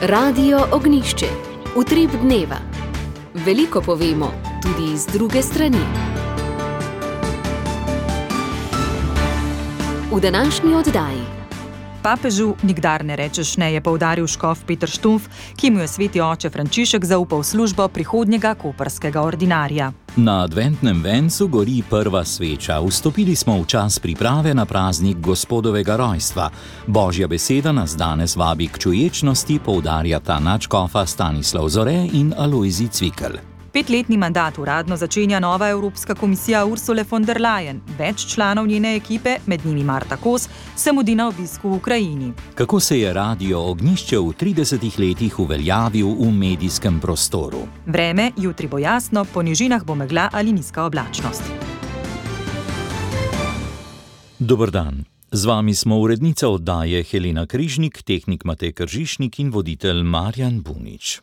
Radio Ognišče, utrip dneva. Veliko povemo, tudi iz druge strani. V današnji oddaji. Papežu nikdar ne rečeš ne, je poudaril škof Peter Štumpf, ki mu je sveti oče Frančišek zaupal službo prihodnjega koprskega ordinarja. Na adventnem vencu gori prva sveča. Vstopili smo v čas priprave na praznik Gospodovega rojstva. Božja beseda nas danes vabi k čuječnosti, poudarjata nadškofa Stanislav Zore in Alojzij Cvikl. 5-letni mandat uradno začenja nova Evropska komisija Ursule von der Leyen. Več članov njene ekipe, med njimi Marta Kos, se mudi na obisku v Ukrajini. Kako se je Radio Ognišče v 30 letih uveljavil v medijskem prostoru? Vreme, jutri bo jasno, po nižinah bo megla ali nizka oblačnost. Dober dan. Z vami smo urednica oddaje Helena Križnik, tehnik Matej Kržišnik in voditelj Marjan Bunič.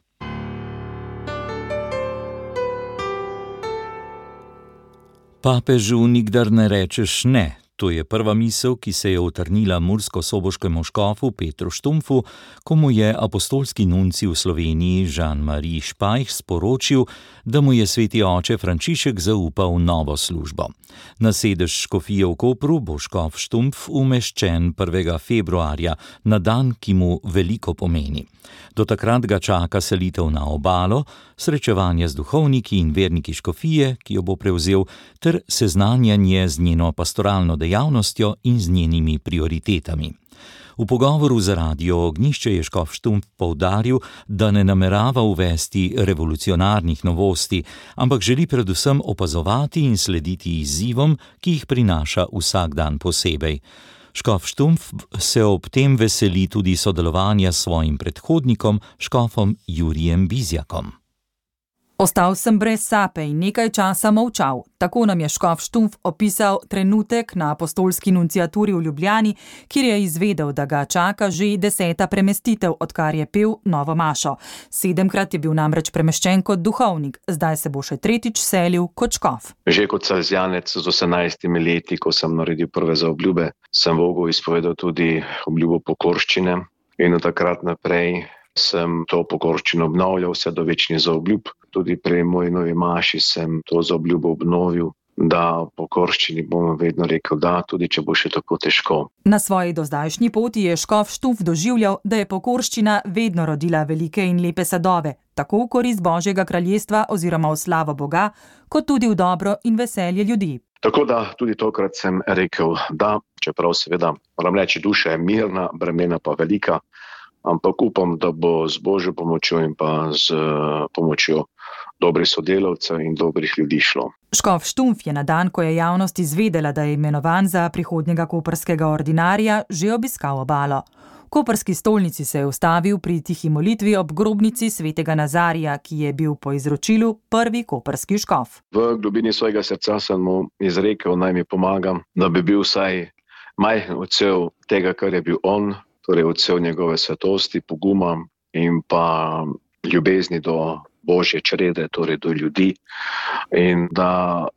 Papežu nikdar ne rečeš ne. To je prva misel, ki se je utrnila mursko-soboškemu škofu Petru Štumpfu, ko mu je apostolski nuncij v Sloveniji Jean-Marie Špajh sporočil, da mu je sveti oče Frančišek zaupal novo službo. Na sedež škofije v Kopru bo škof Štumpf umeščen 1. februarja, na dan, ki mu veliko pomeni. Do takrat ga čaka selitev na obalo, srečevanje z duhovniki in verniki škofije, ki jo bo prevzel, ter seznanjanje z njeno pastoralno dejavnostjo in z njenimi prioritetami. V pogovoru za Radio Ognišče je škof Štumpf poudaril, da ne namerava uvesti revolucionarnih novosti, ampak želi predvsem opazovati in slediti izzivom, ki jih prinaša vsak dan posebej. Škof Štumpf se ob tem veseli tudi sodelovanja s svojim predhodnikom, škofom Jurijem Bizjakom. Ostal sem brez sape in nekaj časa molčal. Tako nam je škof Štumpf opisal trenutek na apostolski nunciaturi v Ljubljani, kjer je izvedel, da ga čaka že 10. premestitev, odkar je pel novo mašo. 7-krat je bil namreč premeščen kot duhovnik, zdaj se bo še 3. selil kot škof. Že kot salezjanec z 18 leti, ko sem naredil prve zaobljube, sem Bogu izpovedal tudi obljubo pokorščine in od takrat naprej sem to pokorščino obnavljal vse do večnih zaobljub. Tudi pri moji novi maši sem to zaobljubo obnovil, da pokorščini bom vedno rekel da, tudi če bo še tako težko. Na svoji dozdajšnji poti je škof Štumpf doživljal, da je pokorščina vedno rodila velike in lepe sadove, tako v korist Božjega kraljestva oziroma v slavo Boga, kot tudi v dobro in veselje ljudi. Tako da tudi tokrat sem rekel da, čeprav seveda moram reči, duša je mirna, bremena pa velika, ampak upam, da bo z Božjo pomočjo in pa z pomočjo dobrih sodelavcev in dobrih ljudi šlo. Škof Štumpf je na dan, ko je javnost izvedela, da je imenovan za prihodnjega koprskega ordinarja, že obiskal obalo. V koprski stolnici se je ustavil pri tihi molitvi ob grobnici svetega Nazarija, ki je bil po izročilu prvi koprski škof. V globini svojega srca sem mu izrekel, naj mi pomaga, da bi bil vsaj majhen odsev tega, kar je bil on, torej odsev njegove svetosti, poguma in pa ljubezni do Božje črede, torej do ljudi. In da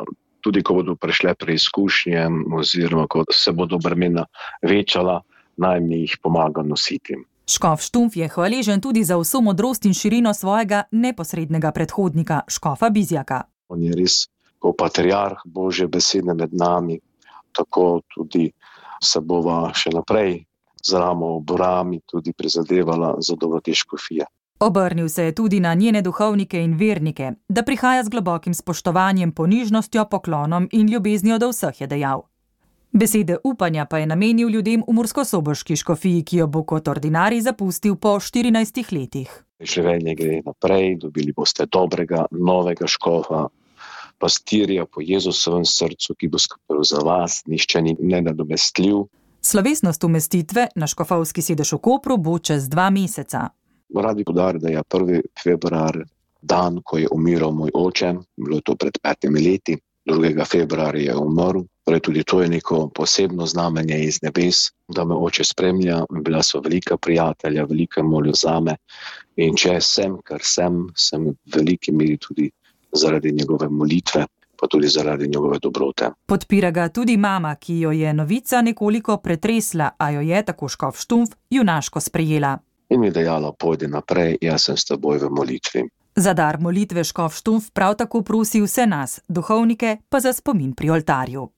tudi, ko bodo prišle preizkušnje oziroma ko se bodo bremena večala, naj mi jih pomaga nositi. Škof Štumpf je hvaležen tudi za vso modrost in širino svojega neposrednega predhodnika, škofa Bizjaka. On je res kot patriarh Božje besede med nami, tako tudi se bova še naprej z ramo ob rami tudi prizadevala za dobro te škofije. Obrnil se je tudi na njene duhovnike in vernike, da prihaja z globokim spoštovanjem, ponižnostjo, poklonom in ljubeznijo do vseh, je dejal. Besede upanja pa je namenil ljudem v mursko-soboški škofiji, ki jo bo kot ordinarij zapustil po 14 letih. Življenje gre naprej, dobili boste dobrega, novega škofa, pastirja po Jezusovem srcu, ki bo skrbel za vas, nihče ni nenadomestljiv. Slovesnost umestitve na škofovski sedež v Kopru bo čez 2 meseca. Radi poudariti, da je 1. februar dan, ko je umiral moj oče, bilo je to pred 5 leti, 2. februarja je umrl, torej tudi to je neko posebno znamenje iz nebes, da me oče spremlja, bila so velika prijatelja, velika moljo zame in če sem, kar sem v veliki meri tudi zaradi njegove molitve, pa tudi zaradi njegove dobrote. Podpira ga tudi mama, ki jo je novica nekoliko pretresla, a jo je, tako škof Štumpf, junaško sprejela. in mi dejala, pojdi naprej, jaz sem s teboj v molitvi. Za dar molitve škof Štumpf prav tako prosi vse nas, duhovnike, pa za spomin pri oltarju.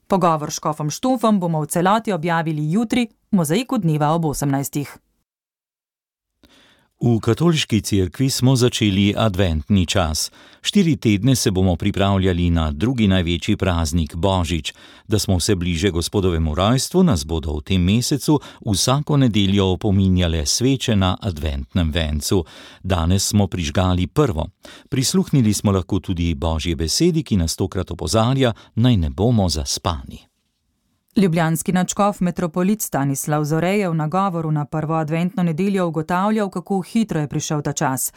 Pogovor s škofom Štumpfom bomo v celoti objavili jutri v Mozaiku dneva ob 18. V katoliški cerkvi smo začeli adventni čas. 4 tedne se bomo pripravljali na drugi največji praznik Božič. Da smo vse bliže Gospodovemu rojstvu, nas bodo v tem mesecu vsako nedeljo opominjale sveče na adventnem vencu. Danes smo prižgali prvo. Prisluhnili smo lahko tudi Božji besedi, ki nas tokrat opozarja, naj ne bomo zaspani. Ljubljanski nadškof metropolit Stanislav Zore je v nagovoru na prvo adventno nedeljo ugotavljal, kako hitro je prišel ta čas.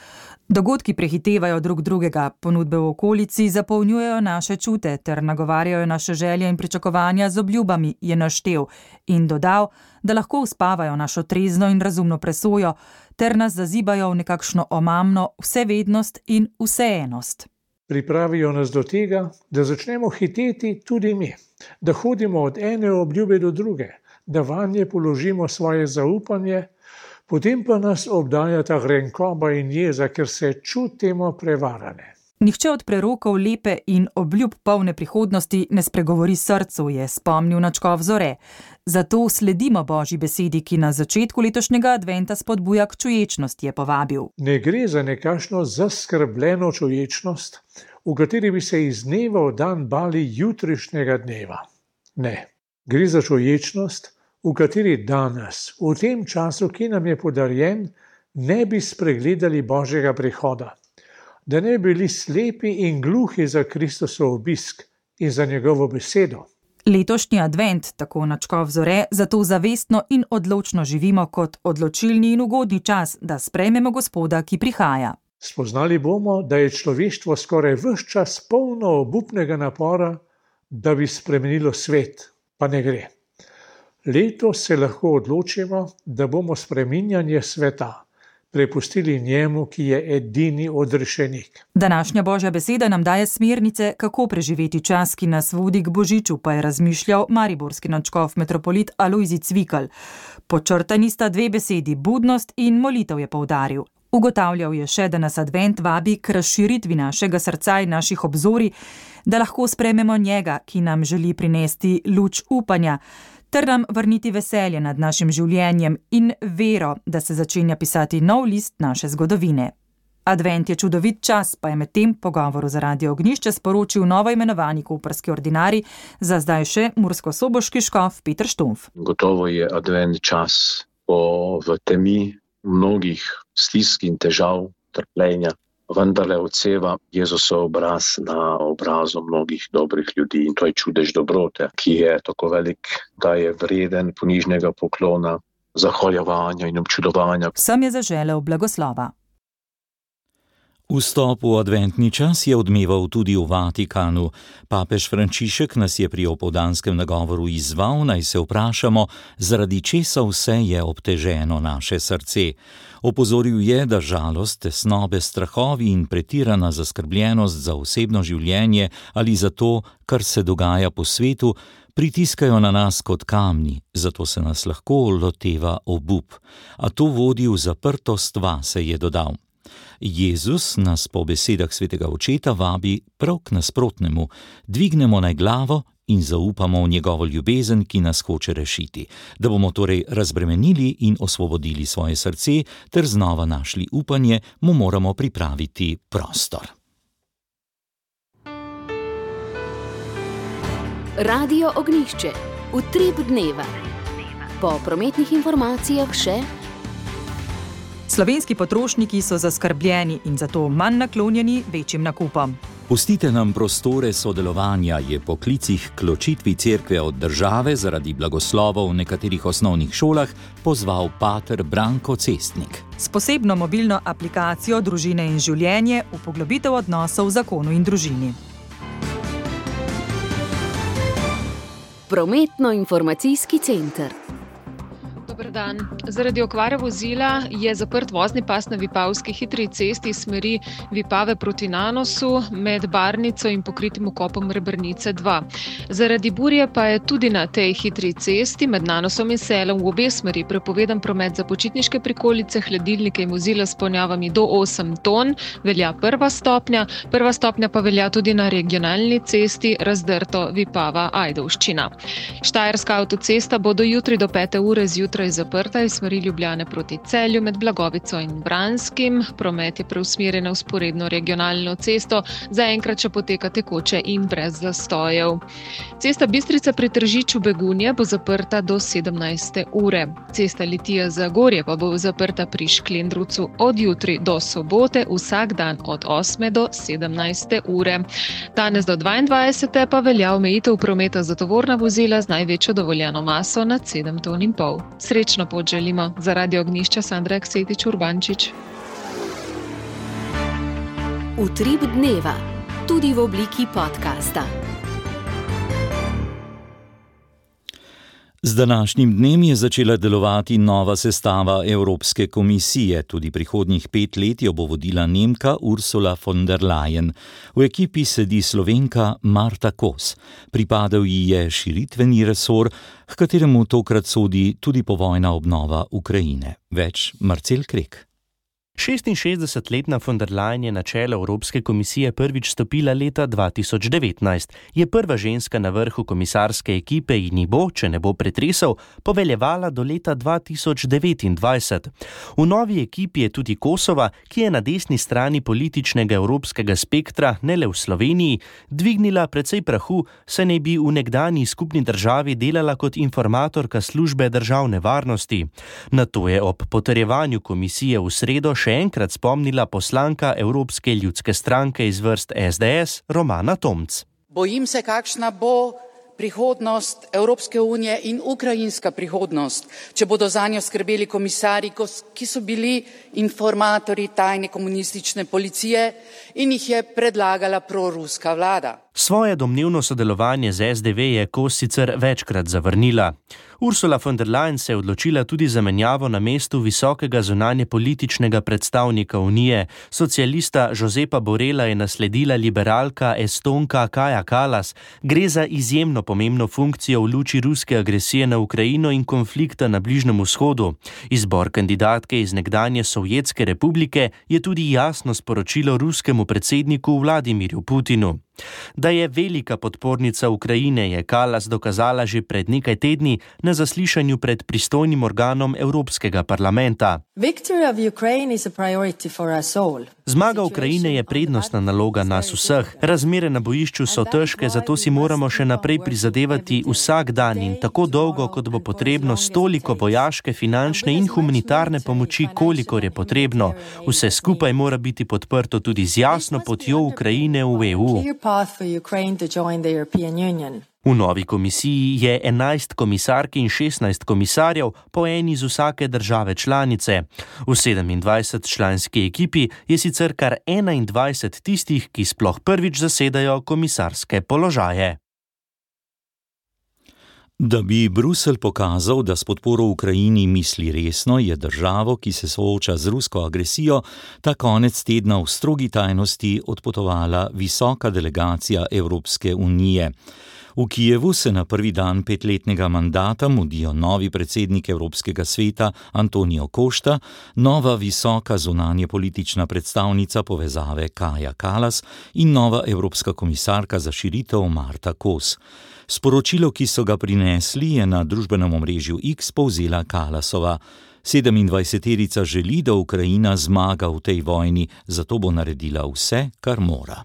Dogodki prehitevajo drug drugega, ponudbe v okolici zapolnjujejo naše čute ter nagovarjajo naše želje in pričakovanja z obljubami, je naštel in dodal, da lahko uspavajo našo trezno in razumno presojo ter nas zazibajo v nekakšno omamno vsevednost in vseennost. Pripravijo nas do tega, da začnemo hiteti tudi mi, da hodimo od ene obljube do druge, da vanje položimo svoje zaupanje, potem pa nas obdaja ta grenkoba in jeza, ker se čutimo prevarane. Nihče od prerokov lepe in obljub polne prihodnosti ne spregovori srcu, je spomnil nadškof Zore. Zato sledimo Božji besedi, ki na začetku letošnjega adventa spodbuja k čuječnosti, je povabil. Ne gre za nekakšno zaskrbljeno čuječnost, v kateri bi se iz dneva v dan bali jutrišnjega dneva. Ne, gre za čuječnost, v kateri danes, v tem času, ki nam je podarjen, ne bi spregledali Božjega prihoda. Da ne bi bili slepi in gluhi za Kristosov obisk in za njegovo besedo. Letošnji advent, tako nadškof Zore, zato zavestno in odločno živimo kot odločilni in ugodni čas, da sprejmemo Gospoda, ki prihaja. Spoznali bomo, da je človeštvo skoraj ves čas polno obupnega napora, da bi spremenilo svet, pa ne gre. Letos se lahko odločimo, da bomo spreminjanje sveta prepustili njemu, ki je edini odrešenik. Današnja Božja beseda nam daje smernice, kako preživeti čas, ki nas vodi k Božiču, pa je razmišljal mariborski nadškof metropolit Alojzij Cvikl. Počrtani sta 2 besedi, budnost in molitev, je poudaril. Ugotavljal je še, da nas advent vabi k razširitvi našega srca in naših obzorij, da lahko sprejmemo njega, ki nam želi prinesti luč upanja, ter nam vrniti veselje nad našim življenjem in vero, da se začenja pisati nov list naše zgodovine. Advent je čudovit čas, pa je med tem pogovoru za Radio Ognjišče sporočil novo imenovani koprski ordinarij, za zdaj še murskosoboški škof Peter Štumpf. Gotovo je advent čas, ko v temi mnogih stisk in težav, trpljenja, vendarle odseva Jezusov obraz na obrazu mnogih dobrih ljudi. In to je čudež dobrote, ki je tako velik, da je vreden ponižnega poklona, zahvaljevanja in občudovanja. Vsem je zaželel blagoslova. Vstop v adventni čas je odmeval tudi v Vatikanu. Papež Frančišek nas je pri opoldanskem nagovoru izzval, naj se vprašamo, zaradi česa vse je obteženo naše srce. Opozoril je, da žalost, tesnobe, strahovi in pretirana zaskrbljenost za osebno življenje ali za to, kar se dogaja po svetu, pritiskajo na nas kot kamni, zato se nas lahko loteva obup. A to vodi v zaprtost vase, je dodal. Jezus nas po besedah svetega očeta vabi prav k nasprotnemu, dvignemo naj glavo in zaupamo v njegovo ljubezen, ki nas hoče rešiti, da bomo torej razbremenili in osvobodili svoje srce ter znova našli upanje, mu moramo pripraviti prostor. Radio Ognjišče, utrip dneva. Po prometnih informacijah še: slovenski potrošniki so zaskrbljeni in zato manj naklonjeni večjim nakupom. Pustite nam prostore sodelovanja, je po klicih k ločitvi cerkve od države zaradi blagoslovov v nekaterih osnovnih šolah pozval pater Branko Cestnik. S posebno mobilno aplikacijo Družine in življenje v poglobitev odnosov v zakonu in družini. Prometno-informacijski center. Dober dan. Zaradi okvare vozila je zaprt vozni pas na vipavski hitri cesti iz smeri Vipave proti Nanosu med Barnico in pokritim vkopom Rebrnice 2. Zaradi burje pa je tudi na tej hitri cesti med Nanosom in Selom v obe smeri prepovedan promet za počitniške prikolice, hladilnike in vozila s ponjavami do 8 ton, velja prva stopnja. Prva stopnja pa velja tudi na regionalni cesti Razdrto Vipava-Ajdovščina. Štajerska avtocesta bo do jutri do 5. ure zjutraj zaprta iz smeri Ljubljane proti Celju med Blagovico in Branskim. Promet je preusmerjen na vzporedno regionalno cesto, zaenkrat še poteka tekoče in brez zastojev. Cesta Bistrica pri Tržiču Begunje bo zaprta do 17. ure. Cesta Litija-Zagorje pa bo zaprta pri Šklendrucu od jutri do sobote, vsak dan od 8. do 17. ure. Danes do 22. pa velja omejitev prometa za tovorna vozila z največjo dovoljeno maso nad 7,5 ton. Srečno pot želimo. Za Radio Ognjišča Sandra Aksetič-Urbančič. Utrip dneva, tudi v obliki podcasta. Z današnjim dnem je začela delovati nova sestava Evropske komisije. Tudi prihodnjih 5 let jo bo vodila Nemka Ursula von der Leyen. V ekipi sedi Slovenka Marta Kos. Pripadal ji je širitveni resor, h kateremu tokrat sodi tudi povojna obnova Ukrajine. Več Marcel Krek. 66-letna von der Leyen je na čelo Evropske komisije prvič stopila leta 2019. Je prva ženska na vrhu komisarske ekipe in ji bo, če ne bo pretresal, poveljevala do leta 2029. V novi ekipi je tudi Kosova, ki je na desni strani političnega evropskega spektra, ne le v Sloveniji, dvignila precej prahu, saj naj bi v nekdanji skupni državi delala kot informatorka službe državne varnosti. Nato je ob potrjevanju komisije v sredo še enkrat spomnila poslanka Evropske ljudske stranke iz vrst SDS Romana Tomc. Bojim se, kakšna bo prihodnost Evropske unije in ukrajinska prihodnost, če bodo zanjo skrbeli komisarji, ki so bili informatorji tajne komunistične policije in jih je predlagala proruska vlada. Svoje domnevno sodelovanje z SDV je Kos sicer večkrat zavrnila. Ursula von der Leyen se je odločila tudi za menjavo na mestu visokega zunanjepolitičnega predstavnika Unije. Socialista Josepa Borrella je nasledila liberalka Estonka Kaja Kallas. Gre za izjemno pomembno funkcijo v luči ruske agresije na Ukrajino in konflikta na Bližnjem vzhodu. Izbor kandidatke iz nekdanje Sovjetske republike je tudi jasno sporočilo ruskemu predsedniku Vladimirju Putinu. Da je velika podpornica Ukrajine, je Kallas dokazala že pred nekaj tedni na zaslišanju pred pristojnim organom Evropskega parlamenta. Zmaga Ukrajine je prednostna naloga nas vseh. Razmere na bojišču so težke, zato si moramo še naprej prizadevati vsak dan in tako dolgo, kot bo potrebno, s toliko vojaške, finančne in humanitarne pomoči, kolikor je potrebno. Vse skupaj mora biti podprto tudi z jasno potjo Ukrajine v EU. V novi komisiji je 11 komisark in 16 komisarjev, po eni iz vsake države članice. V 27-članski ekipi je sicer kar 21 tistih, ki sploh prvič zasedajo komisarske položaje. Da bi Bruselj pokazal, da s podporo Ukrajini misli resno, je državo, ki se sooča z rusko agresijo, ta konec tedna v strogi tajnosti odpotovala visoka delegacija Evropske unije. V Kijevu se na prvi dan 5-letnega mandata mudijo novi predsednik Evropskega sveta Antonio Costa, nova visoka zunanjepolitična predstavnica povezave Kaja Kallas in nova evropska komisarka za širitev Marta Kos. Sporočilo, ki so ga prinesli, je na družbenem omrežju X povzela Kallasova. 27-terica želi, da Ukrajina zmaga v tej vojni, zato bo naredila vse, kar mora.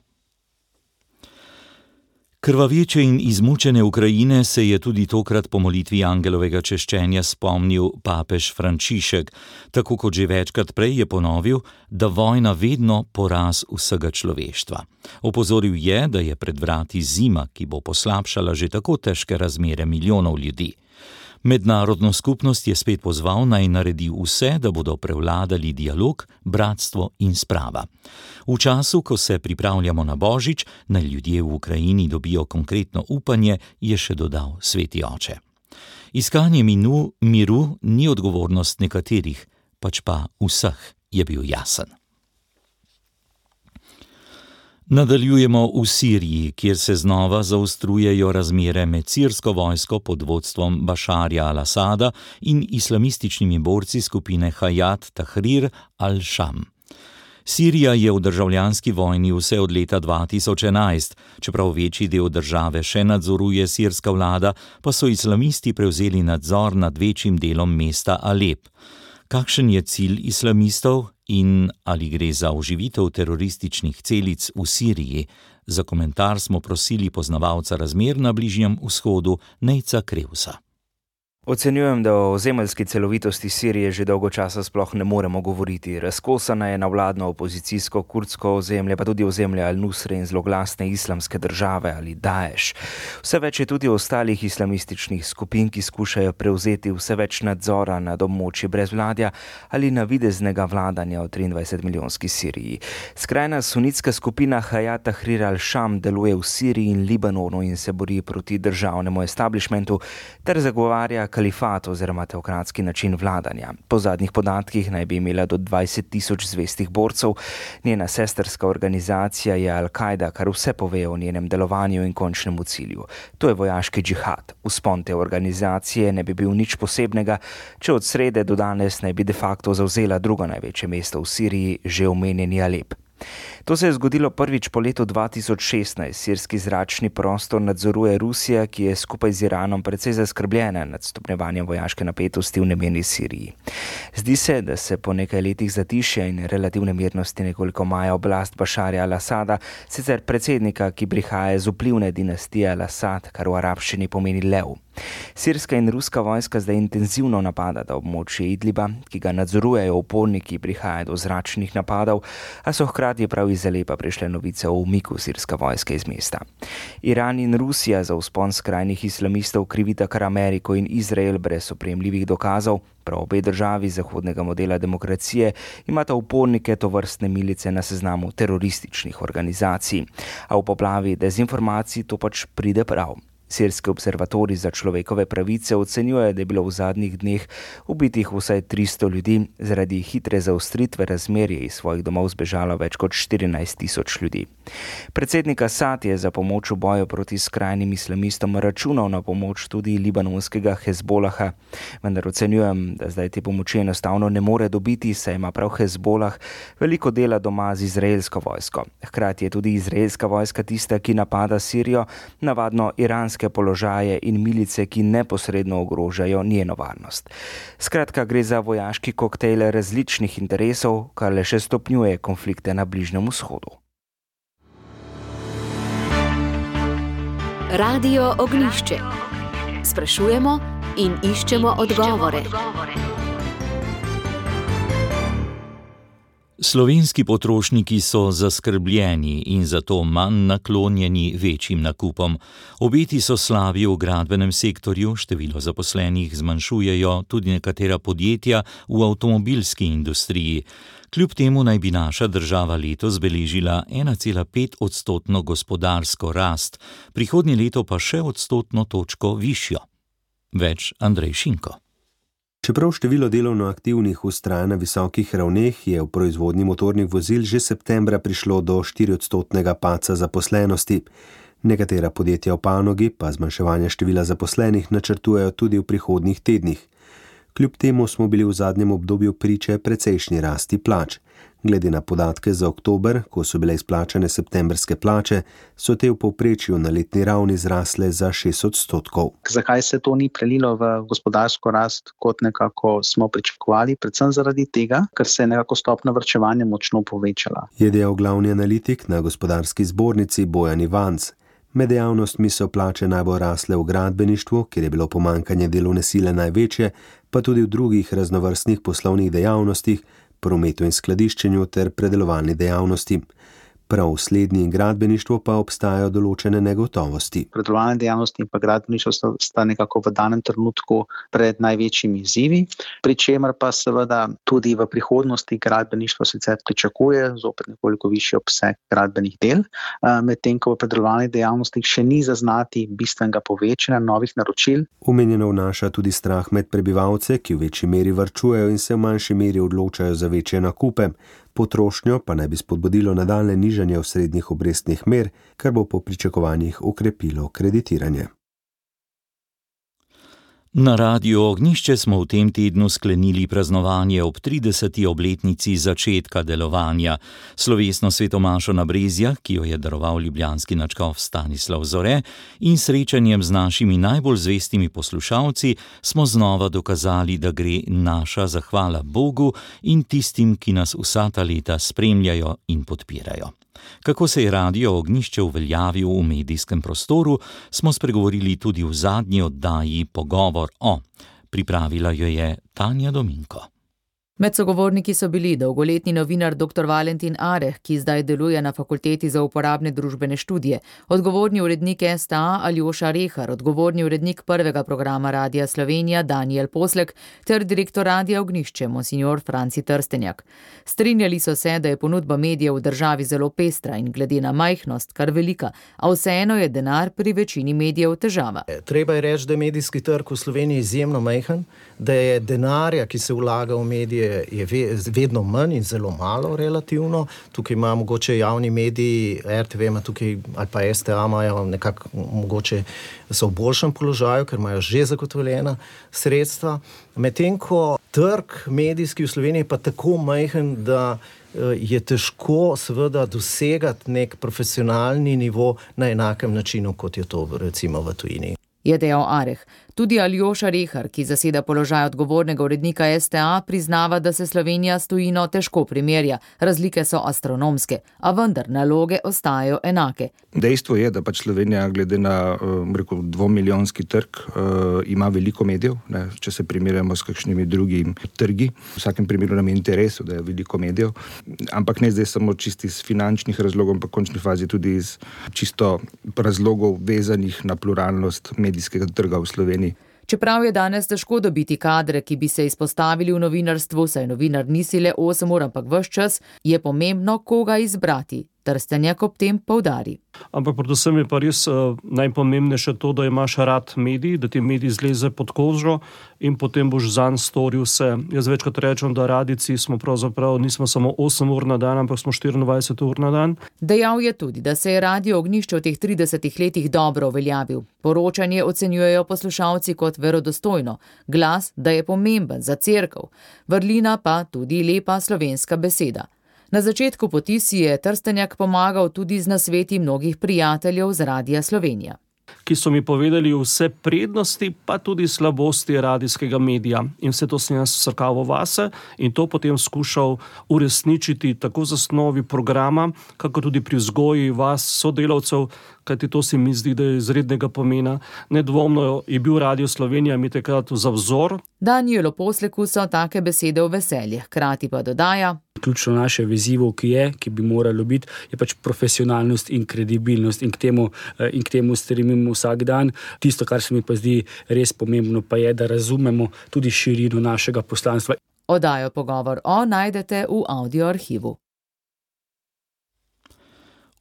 Krvaveče in izmučene Ukrajine se je tudi tokrat po molitvi angelovega češčenja spomnil papež Frančišek. Tako kot že večkrat prej je ponovil, da vojna vedno poraz vsega človeštva. Opozoril je, da je pred vrati zima, ki bo poslabšala že tako težke razmere milijonov ljudi. Mednarodno skupnost je spet pozval, naj naredi vse, da bodo prevladali dialog, bratstvo in sprava. V času, ko se pripravljamo na Božič, naj ljudje v Ukrajini dobijo konkretno upanje, je še dodal sveti oče. Iskanje miru ni odgovornost nekaterih, pač pa vseh, je bil jasen. Nadaljujemo v Siriji, kjer se znova zaostrujejo razmere med sirsko vojsko pod vodstvom Bašarja al-Asada in islamističnimi borci skupine Hayat Tahrir al-Sham. Sirija je v državljanski vojni vse od leta 2011, čeprav večji del države še nadzoruje sirska vlada, pa so islamisti prevzeli nadzor nad večjim delom mesta Alep. Kakšen je cilj islamistov in ali gre za oživitev terorističnih celic v Siriji? Za komentar smo prosili poznavalca razmer na Bližnjem vzhodu Nejca Krevsa. Ocenjujem, da o ozemeljski celovitosti Sirije že dolgo časa sploh ne moremo govoriti. Razkosana je na vladno opozicijsko kurdsko ozemlje, pa tudi ozemlje Al-Nusre in zloglasne islamske države ali Daesh. Vse več je tudi ostalih islamističnih skupin, ki skušajo prevzeti vse več nadzora nad območji brezvladja ali navideznega vladanja v 23-milijonski Siriji. Skrajna sunitska skupina Hayat Tahrir al-Sham deluje v Siriji in Libanonu in se bori proti državnemu establishmentu ter zagovarja kalifat oziroma teokratski način vladanja. Po zadnjih podatkih naj bi imela do 20,000 zvestih borcev. Njena sestrska organizacija je Al-Kaida, kar vse pove o njenem delovanju in končnemu cilju. To je vojaški džihad. Vzpon te organizacije ne bi bil nič posebnega, če od srede do danes ne bi de facto zavzela drugo največje mesto v Siriji, že omenjeni Alep. To se je zgodilo prvič po letu 2016. Sirski zračni prostor nadzoruje Rusija, ki je skupaj z Iranom precej zaskrbljena nad stopnjevanjem vojaške napetosti v nemirni Siriji. Zdi se, da se po nekaj letih zatišja in relativne mirnosti nekoliko maja oblast Bašarja al-Asada, sicer predsednika, ki prihaja iz vplivne dinastije al-Asad, kar v arabščini pomeni lev. Sirska in ruska vojska zdaj intenzivno napadata območje Idliba, ki ga nadzorujejo uporniki, prihaja do zračnih napadov, a so hkrati prav iz Alepa prišle novice o umiku sirske vojske iz mesta. Iran in Rusija za vzpon skrajnih islamistov krivita kar Ameriko in Izrael brez opremljivih dokazov. Prav obe državi zahodnega modela demokracije imata upornike tovrstne milice na seznamu terorističnih organizacij, a v poplavi dezinformacij to pač pride prav. Sirski observatorij za človekove pravice ocenjuje, da je bilo v zadnjih dneh ubitih vsaj 300 ljudi, zaradi hitre zaostritve razmerje iz svojih domov zbežalo več kot 14,000 ljudi. Predsednik Asad je za pomoč v boju proti skrajnim islamistom računal na pomoč tudi libanonskega Hezbolaha, vendar ocenjujem, da zdaj te pomoči enostavno ne more dobiti, saj ima prav Hezbolah veliko dela doma z izraelsko vojsko. Hkrati je tudi izraelska vojska tista, ki napada Sirijo, navadno iranske položaje in milice, ki neposredno ogrožajo njeno varnost. Skratka, gre za vojaški koktejl različnih interesov, kar le še stopnjuje konflikte na Bližnjem vzhodu. Radio Ognjišče. Sprašujemo in iščemo odgovore. Slovenski potrošniki so zaskrbljeni in zato manj naklonjeni večjim nakupom. Obeti so slabi v gradbenem sektorju, število zaposlenih zmanjšujejo tudi nekatera podjetja v avtomobilski industriji. Kljub temu naj bi naša država letos beležila 1,5% gospodarsko rast, prihodnje leto pa še odstotno točko višjo. Več Andrej Šinko. Čeprav število delovno aktivnih vztraja na visokih ravneh, je v proizvodnji motornih vozil že septembra prišlo do 4% padca zaposlenosti. Nekatera podjetja v panogi pa zmanjševanje števila zaposlenih načrtujejo tudi v prihodnjih tednih. Kljub temu smo bili v zadnjem obdobju priče precejšnji rasti plač. Glede na podatke za oktober, ko so bile izplačane septembrske plače, so te v povprečju na letni ravni zrasle za 6%. Zakaj se to ni prelilo v gospodarsko rast, kot nekako smo pričakovali? Predvsem zaradi tega, ker se je nekako stopnja varčevanja močno povečala. Je dejal glavni analitik na gospodarski zbornici Bojan Ivanc. Med dejavnostmi so plače najbolj rasle v gradbeništvu, kjer je bilo pomanjkanje delovne sile največje, pa tudi v drugih raznovrstnih poslovnih dejavnostih, prometu in skladiščenju ter predelovalni dejavnosti. Prav v slednji in gradbeništvu pa obstajajo določene negotovosti. Predelovalna dejavnost in pa gradbeništvo sta nekako v danem trenutku pred največjimi izzivi, pri čemer pa seveda tudi v prihodnosti gradbeništvo sicer pričakuje zopet nekoliko višji obseg gradbenih del, medtem ko v predelovalni dejavnosti še ni zaznati bistvenega povečanja novih naročil. Omenjeno vnaša tudi strah med prebivalce, ki v večji meri varčujejo in se v manjši meri odločajo za večje nakupe. Potrošnjo pa naj bi spodbudilo nadaljnje nižanje osrednjih obrestnih mer, kar bo po pričakovanjih okrepilo kreditiranje. Na Radiu Ognjišče smo v tem tednu sklenili praznovanje ob 30. obletnici začetka delovanja. Slovesno svetomašo na Brezjah, ki jo je daroval ljubljanski nadškof Stanislav Zore, in srečanjem z našimi najbolj zvestimi poslušalci smo znova dokazali, da gre naša zahvala Bogu in tistim, ki nas vsa ta leta spremljajo in podpirajo. Kako se je Radio Ognjišče uveljavil v medijskem prostoru, smo spregovorili tudi v zadnji oddaji Pogovor o. Pripravila jo je Tanja Dominko. Med sogovorniki so bili dolgoletni novinar dr. Valentin Areh, ki zdaj deluje na Fakulteti za uporabne družbene študije, odgovorni urednik STA Aljoša Rehar, odgovorni urednik prvega programa Radia Slovenija Danijel Poslek ter direktor Radia Ognjišče monsignor Franci Trstenjak. Strinjali so se, da je ponudba medijev v državi zelo pestra in glede na majhnost kar velika, a vseeno je denar pri večini medijev težava. Treba je reči, da je medijski trg v Sloveniji izjemno majhen, da je denarja, ki se vlaga v medije, je vedno manj in zelo malo relativno. Tukaj ima mogoče javni mediji, RTV ima tukaj, ali pa STA imajo nekako mogoče so v boljšem položaju, ker imajo že zagotovljena sredstva. Medtem ko trg medijski v Sloveniji pa tako majhen, da je težko seveda dosegati nek profesionalni nivo na enakem načinu, kot je to recimo v tujini. Je dejal Areh. Tudi Aljoša Rehar, ki zaseda položaj odgovornega urednika STA, priznava, da se Slovenija s tujino težko primerja. Razlike so astronomske, a vendar naloge ostajajo enake. Dejstvo je, da pač Slovenija glede na 2-milijonski trg ima veliko medijev, ne, če se primerjamo s kakšnimi drugimi trgi. V vsakem primeru nam je interesu, da je veliko medijev, ampak ne zdaj samo čisto iz finančnih razlogov, ampak v končni fazi tudi iz čisto razlogov vezanih na pluralnost medijskega trga v Sloveniji. Čeprav je danes težko dobiti kadre, ki bi se izpostavili v novinarstvu, saj novinar nisi le 8 ur, ampak ves čas, je pomembno, koga izbrati. Trstenjak ob tem poudari. Ampak predvsem je pa res najpomembnejše to, da imaš rad medij, da ti medij zleze pod kožo in potem boš zanj storil vse. Jaz večkrat rečem, da radijci smo pravzaprav nismo samo 8 ur na dan, ampak smo 24 ur na dan. Dejal je tudi, da se je Radio Ognjišče v teh 30 letih dobro uveljavil. Poročanje ocenjujejo poslušalci kot verodostojno, glas, da je pomemben za cerkev, vrlina pa tudi lepa slovenska beseda. Na začetku poti si je Trstenjak pomagal tudi z nasveti mnogih prijateljev z Radia Slovenija, ki so mi povedali vse prednosti, pa tudi slabosti radijskega medija. In vse to sem jaz vsrkaval vase in to potem skušal uresničiti tako z osnovi programa, kako tudi pri vzgoji vas sodelavcev, kajti to se mi zdi, da je izrednega pomena. Nedvomno je bil Radio Slovenija mi takrat za vzor. Danijelu Posleku so take besede v veselje, hkrati pa dodaja: Ključno naše vezivo, ki bi moralo biti, je pač profesionalnost in kredibilnost in k temu stremimo vsak dan. Tisto, kar se mi pa zdi res pomembno, pa je, da razumemo tudi širino našega poslanstva. Oddajo Pogovor o najdete v audio arhivu.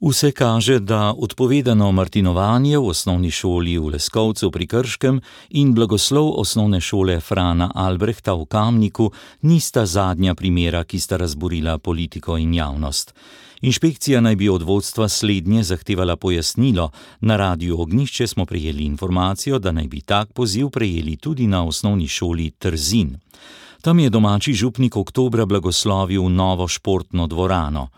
Vse kaže, da odpovedano martinovanje v osnovni šoli v Leskovcu pri Krškem in blagoslov osnovne šole Frana Albrehta v Kamniku nista zadnja primera, ki sta razburila politiko in javnost. Inšpekcija naj bi od vodstva slednje zahtevala pojasnilo. Na Radiu Ognjišče smo prejeli informacijo, da naj bi tak poziv prejeli tudi na osnovni šoli Trzin. Tam je domači župnik oktobra blagoslovil novo športno dvorano.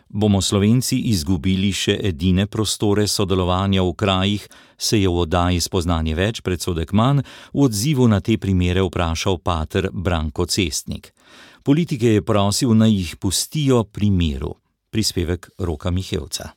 Bomo Slovenci izgubili še edine prostore sodelovanja v krajih, se je v oddaji Spoznanje več, predsodek manj, v odzivu na te primere vprašal pater Branko Cestnik. Politike je prosil, naj jih pustijo pri miru. Prispevek Roka Mihevca.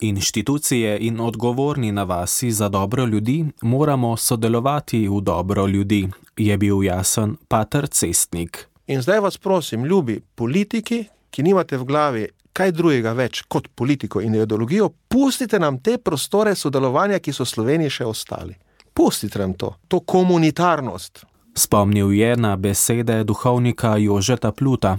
Inštitucije in odgovorni na vasi za dobro ljudi moramo sodelovati v dobro ljudi, je bil jasen pater Cestnik. In zdaj vas prosim, ljubi politiki, ki nimate v glavi kaj drugega več kot politiko in ideologijo, pustite nam te prostore sodelovanja, ki so v Sloveniji še ostali. Pustite nam to komunitarnost. Spomnil je na besede duhovnika Jožeta Pluta.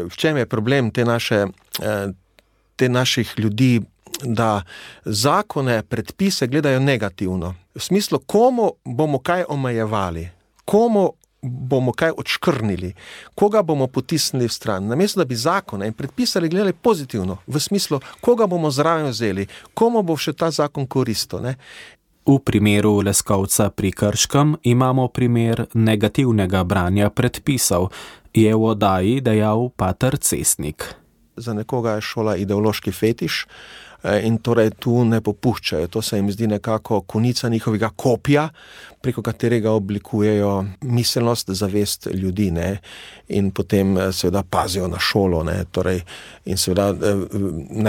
V čem je problem te naših ljudi, da zakone, predpise gledajo negativno. V smislu, komu bomo kaj omejevali, komu bomo kaj odškrnili, koga bomo potisnili v stran. Namesto, da bi zakone in predpisali gledali pozitivno, v smislu, koga bomo zraven vzeli, komu bo še ta zakon koristil, ne? V primeru Leskovca pri Krškem imamo primer negativnega branja predpisov, je v oddaji dejal pater Cestnik. Za nekoga je šola ideološki fetiš in torej tu ne popuščajo. To se jim zdi nekako konica njihovega kopja, preko katerega oblikujejo miselnost, zavest ljudi, ne? In potem seveda pazijo na šolo, ne? Torej, in seveda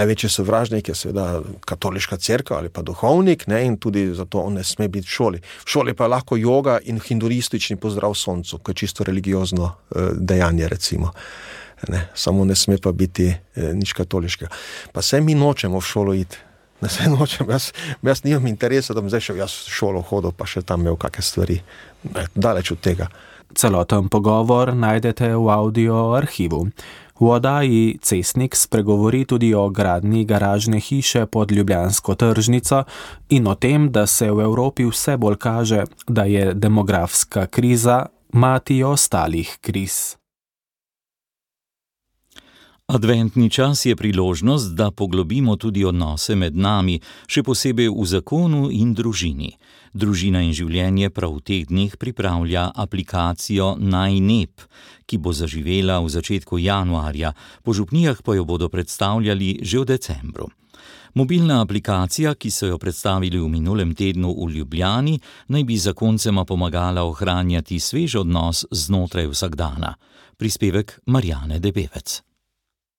največji sovražnik je seveda katoliška cerkev ali pa duhovnik, ne? In tudi zato on ne sme biti v šoli. V šoli pa je lahko joga in hinduistični pozdrav soncu, ko je čisto religiozno dejanje, recimo. Ne, samo ne sme pa biti nič katoliškega. Pa se mi nočemo v šolo iti. Ne se nočem, jaz nimam interesa, da bom zdaj šel jaz v šolo hodil, pa še tam imel kakšne stvari. Daleč od tega. Celoten pogovor najdete v audio arhivu. V oddaji Cestnik spregovori tudi o gradnji garažne hiše pod ljubljansko tržnico in o tem, da se v Evropi vse bolj kaže, da je demografska kriza mati ostalih kriz. Adventni čas je priložnost, da poglobimo tudi odnose med nami, še posebej v zakonu in družini. Družina in življenje prav v teh dneh pripravlja aplikacijo Najnep, ki bo zaživela v začetku januarja, po župnijah pa jo bodo predstavljali že v decembru. Mobilna aplikacija, ki so jo predstavili v minulem tednu v Ljubljani, naj bi zakoncema pomagala ohranjati svež odnos znotraj vsakdana. Prispevek Marjane Debevec.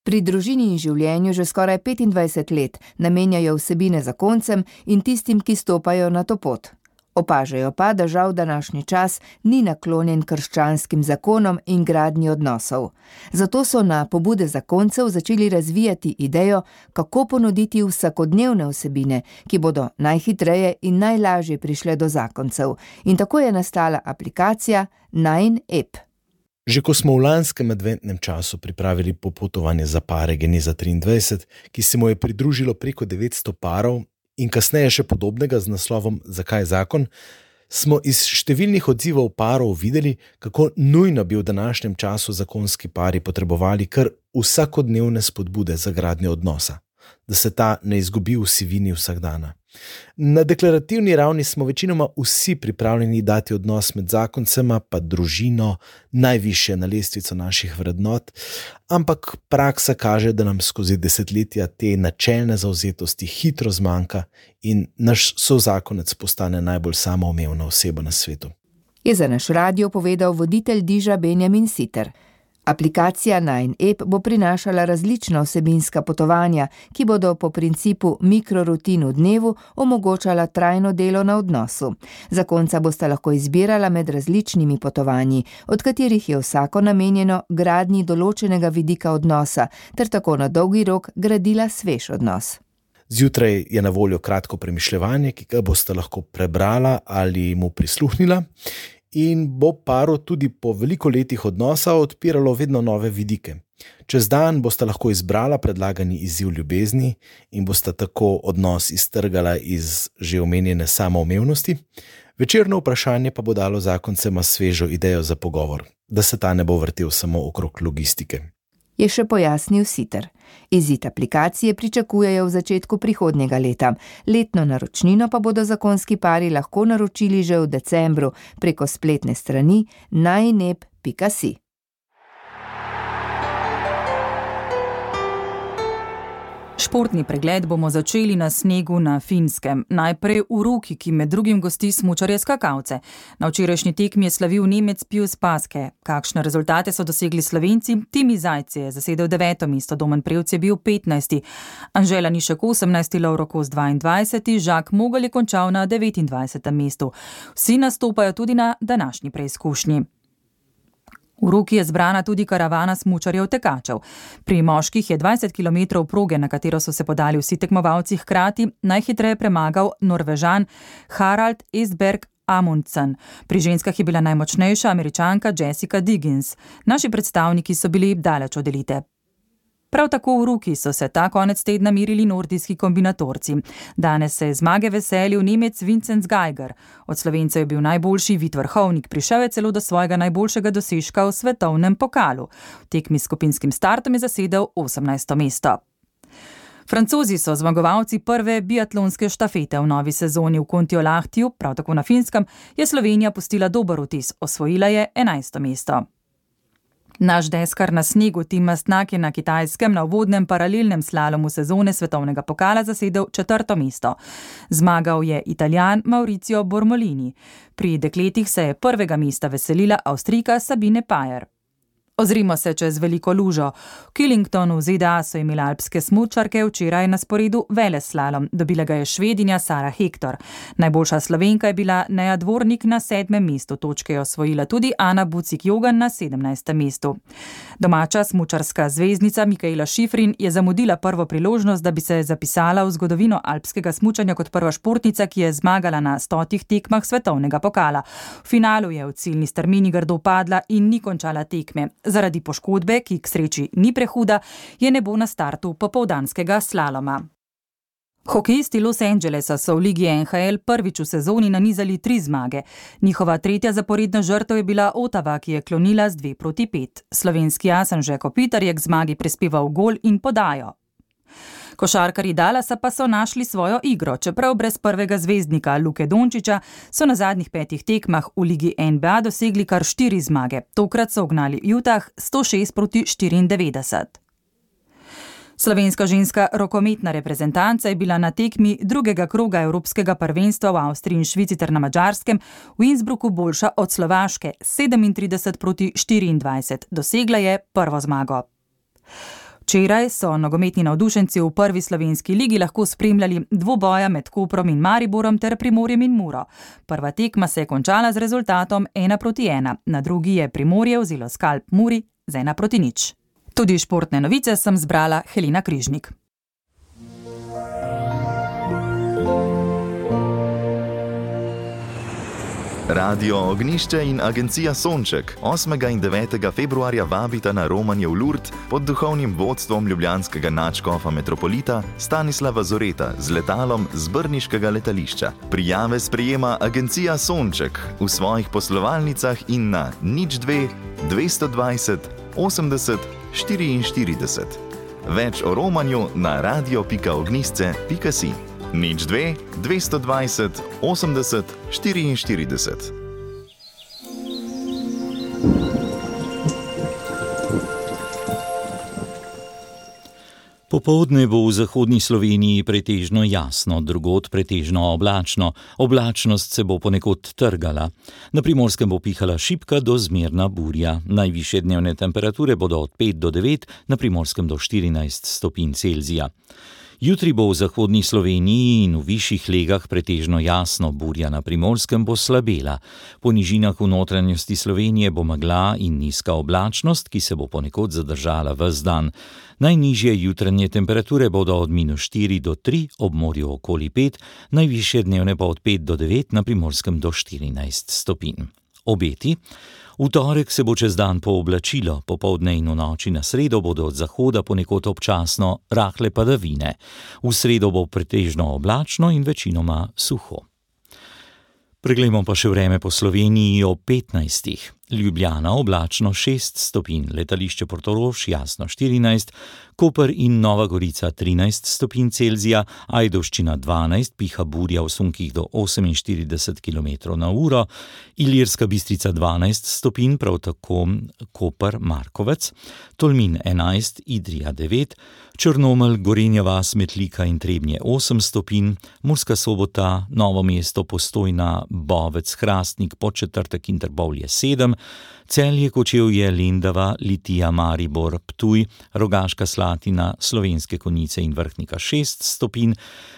Pri družini in življenju že skoraj 25 let namenjajo vsebine zakoncem in tistim, ki stopajo na to pot. Opažajo pa, da žal današnji čas ni naklonjen krščanskim zakonom in gradnji odnosov. Zato so na pobude zakoncev začeli razvijati idejo, kako ponuditi vsakodnevne vsebine, ki bodo najhitreje in najlažje prišle do zakoncev. In tako je nastala aplikacija Najnep. Že ko smo v lanskem adventnem času pripravili popotovanje za pare Geneza 23, ki se mu je pridružilo preko 900 parov in kasneje še podobnega z naslovom Zakaj zakon, smo iz številnih odzivov parov videli, kako nujno bi v današnjem času zakonski pari potrebovali kar vsakodnevne spodbude za gradnjo odnosa, da se ta ne izgubi v sivini vsakdana. Na deklarativni ravni smo večinoma vsi pripravljeni dati odnos med zakoncema pa družino najvišje na lestvico naših vrednot, ampak praksa kaže, da nam skozi desetletja te načelne zavzetosti hitro zmanjka in naš sozakonec postane najbolj samoumevna oseba na svetu. Je za naš radio povedal voditelj Diža Benjamin Siter. Aplikacija Najnep bo prinašala različna vsebinska potovanja, ki bodo po principu mikrorutin v dnevu omogočala trajno delo na odnosu. Zakonca bosta lahko izbirala med različnimi potovanji, od katerih je vsako namenjeno gradnji določenega vidika odnosa, ter tako na dolgi rok gradila svež odnos. Zjutraj je na voljo kratko premišljevanje, ki ga boste lahko prebrala ali mu prisluhnila, in bo paru tudi po veliko letih odnosa odpiralo vedno nove vidike. Čez dan boste lahko izbrala predlagani izziv ljubezni in boste tako odnos iztrgala iz že omenjene samoumevnosti. Večerno vprašanje pa bo dalo zakoncema svežo idejo za pogovor, da se ta ne bo vrtel samo okrog logistike. Je še pojasnil Siter. Izid aplikacije pričakujejo v začetku prihodnjega leta. Letno naročnino pa bodo zakonski pari lahko naročili že v decembru preko spletne strani najnep.si. Športni pregled bomo začeli na snegu na Finskem. Najprej v Ruki, ki med drugim gosti smučarje skakalce. Na včerajšnji tekmi je slavil Nemec Pius Paske. Kakšne rezultate so dosegli Slovenci? Timi Zajc je zasedel 9. mesto, Domen Prevc je bil 15. Anžela Nišek 18. Lovro Kos 22. Žak Mogel je končal na 29. mestu. Vsi nastopajo tudi na današnji preizkušnji. V Ruki je zbrana tudi karavana smučarjev tekačev. Pri moških je 20 km proge, na katero so se podali vsi tekmovalci hkrati, najhitreje premagal Norvežan Harald Esberg Amundsen. Pri ženskah je bila najmočnejša Američanka Jessica Diggins. Naši predstavniki so bili daleč od elite. Prav tako v Ruki so se ta konec tedna mirili nordijski kombinatorci. Danes se je zmage veselil Nemec Vincenz Geiger. Od Slovencev je bil najboljši Vid Vrhovnik, prišel je celo do svojega najboljšega dosežka v svetovnem pokalu. V tekmi s skupinskim startom je zasedel 18. mesto. Francozi so zmagovalci prve biatlonske štafete v novi sezoni v Kontiolahtiju, prav tako na Finskem, je Slovenija pustila dober vtis, osvojila je 11. mesto. Naš deskar na snegu Tim Mastnak je na Kitajskem na uvodnem paralelnem slalomu sezone svetovnega pokala zasedel 4. mesto. Zmagal je Italijan Mauricio Bormolini. Pri dekletih se je prvega mesta veselila Avstrijka Sabine Pajer. Ozrimo se čez veliko lužo. V Killingtonu v ZDA so imeli alpske smučarke včeraj na sporedu veleslalom. Dobila ga je Švedinja Sara Hektor. Najboljša Slovenka je bila Neja Dvornik na 7. mestu. Točke je osvojila tudi Ana Bucik-Jogan na 17. mestu. Domača smučarska zvezdnica Mikaela Šifrin je zamudila prvo priložnost, da bi se zapisala v zgodovino alpskega smučanja kot prva športnica, ki je zmagala na 100 tekmah svetovnega pokala. V finalu je v ciljni strmini grdo padla in ni končala tekme. Zaradi poškodbe, ki k sreči ni prehuda, je nebo na startu popoldanskega slaloma. Hokejisti Los Angelesa so v ligi NHL prvič v sezoni nanizali 3 zmage. Njihova 3. zaporedna žrtev je bila Ottawa, ki je klonila z 2-5. Slovenski as Anže Kopitar je k zmagi prispeval gol in podajo. Košarkarji Dallasa pa so našli svojo igro. Čeprav brez prvega zvezdnika Luke Dončića, so na zadnjih 5 tekmah v ligi NBA dosegli kar 4 zmage. Tokrat so ugnali Utah 106-94. Slovenska ženska rokometna reprezentanca je bila na tekmi drugega kroga Evropskega prvenstva v Avstriji in Švici ter na Madžarskem v Innsbrucku boljša od Slovaške 37-24. Dosegla je prvo zmago. Včeraj so nogometni navdušenci v prvi slovenski ligi lahko spremljali dvoboja med Koprom in Mariborom ter Primorjem in Muro. Prva tekma se je končala z rezultatom 1-1. Na drugi je Primorje vzelo skalp Muri z 1-0. Tudi športne novice sem zbrala Helena Križnik. Radio Ognišče in agencija Sonček 8. in 9. februarja vabita na romanje v Lourdes pod duhovnim vodstvom ljubljanskega nadškofa metropolita Stanislava Zoreta z letalom z brniškega letališča. Prijave sprejema agencija Sonček v svojih poslovalnicah in na 02 220 80 44. Več o romanju na radio.ognisce.si. 02 220 80 44. Popoldne bo v zahodni Sloveniji pretežno jasno, drugod pretežno oblačno. Oblačnost se bo ponekod trgala. Na Primorskem bo pihala šibka do zmerna burja. Najvišje dnevne temperature bodo od 5 do 9, na Primorskem do 14 stopinj Celzija. Jutri bo v zahodni Sloveniji in v višjih legah pretežno jasno, burja na Primorskem bo slabela. Po nižinah v notranjosti Slovenije bo megla in nizka oblačnost, ki se bo ponekod zadržala ves dan. Najnižje jutranje temperature bodo od -4 do 3, ob morju okoli 5, najvišje dnevne pa od 5 do 9, na Primorskem do 14 stopinj. Obeti. V torek se bo čez dan pooblačilo, popoldne in v noči na sredo bodo od zahoda ponekod občasno rahle padavine. V sredo bo pretežno oblačno in večinoma suho. Preglejmo pa še vreme po Sloveniji ob 15. Ljubljana oblačno 6 stopinj, letališče Portorož jasno 14, Koper in Nova Gorica 13 stopinj Celzija, Ajdovščina 12, piha burja v sunkih do 48 km/h, Ilirska Bistrica 12 stopinj, prav tako Koper Markovec, Tolmin 11, Idrija 9, Črnomelj, Gorenja vas, Metlika in Trebnje 8 stopinj, Murska Sobota, Novo mesto, Postojna, Bovec, Hrastnik, Podčetrtek in Trbovlje 7, Celje, Kočevje, Lendava, Litija, Maribor, Ptuj, Rogaška Slatina, Slovenske Konjice in Vrhnika 6 stopinj,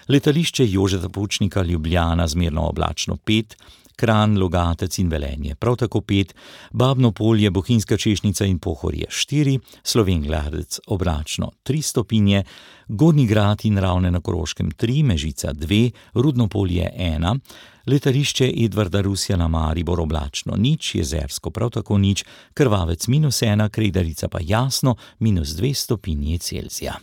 letališče Jožeta Pučnika Ljubljana zmerno oblačno 5, Kranj, Logatec in Velenje prav tako 5, Babno Polje, Bohinjska Češnica in Pohorje 4, Slovenj Gradec oblačno 3 stopinje, Gornji Grad in Ravne na Koroškem 3, Mežica 2, Rudno Polje 1, Letališče Edvarda Rusjana Maribor oblačno 0, Jezersko prav tako 0, Krvavec -1, Kredarica pa jasno -2 stopinje Celzija.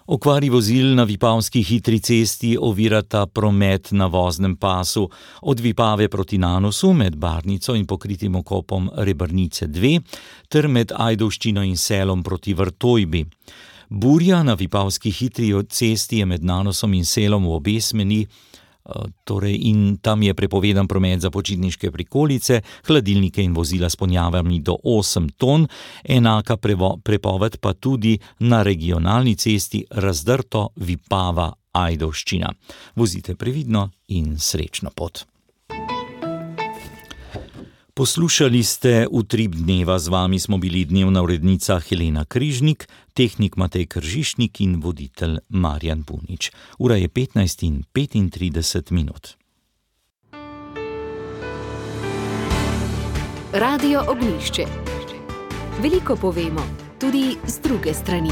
Okvari vozil na Vipavski hitri cesti ovirata promet na voznem pasu od Vipave proti Nanosu med Barnico in pokritim okopom Rebrnice 2 ter med Ajdovščino in Selom proti Vrtojbi. Burja na Vipavski hitri cesti je med Nanosom in Selom v obe smeri, in tam je prepovedan promet za počitniške prikolice, hladilnike in vozila s ponjavami do 8 ton, enaka prepoved pa tudi na regionalni cesti Razdrto Vipava Ajdovščina. Vozite previdno in srečno pot. Poslušali ste Utrip dneva, z vami smo bili dnevna urednica Helena Križnik, tehnik Matej Kržišnik in voditelj Marjan Punič. Ura je 15:35. Radio Ognjišče. Veliko povemo, tudi z druge strani.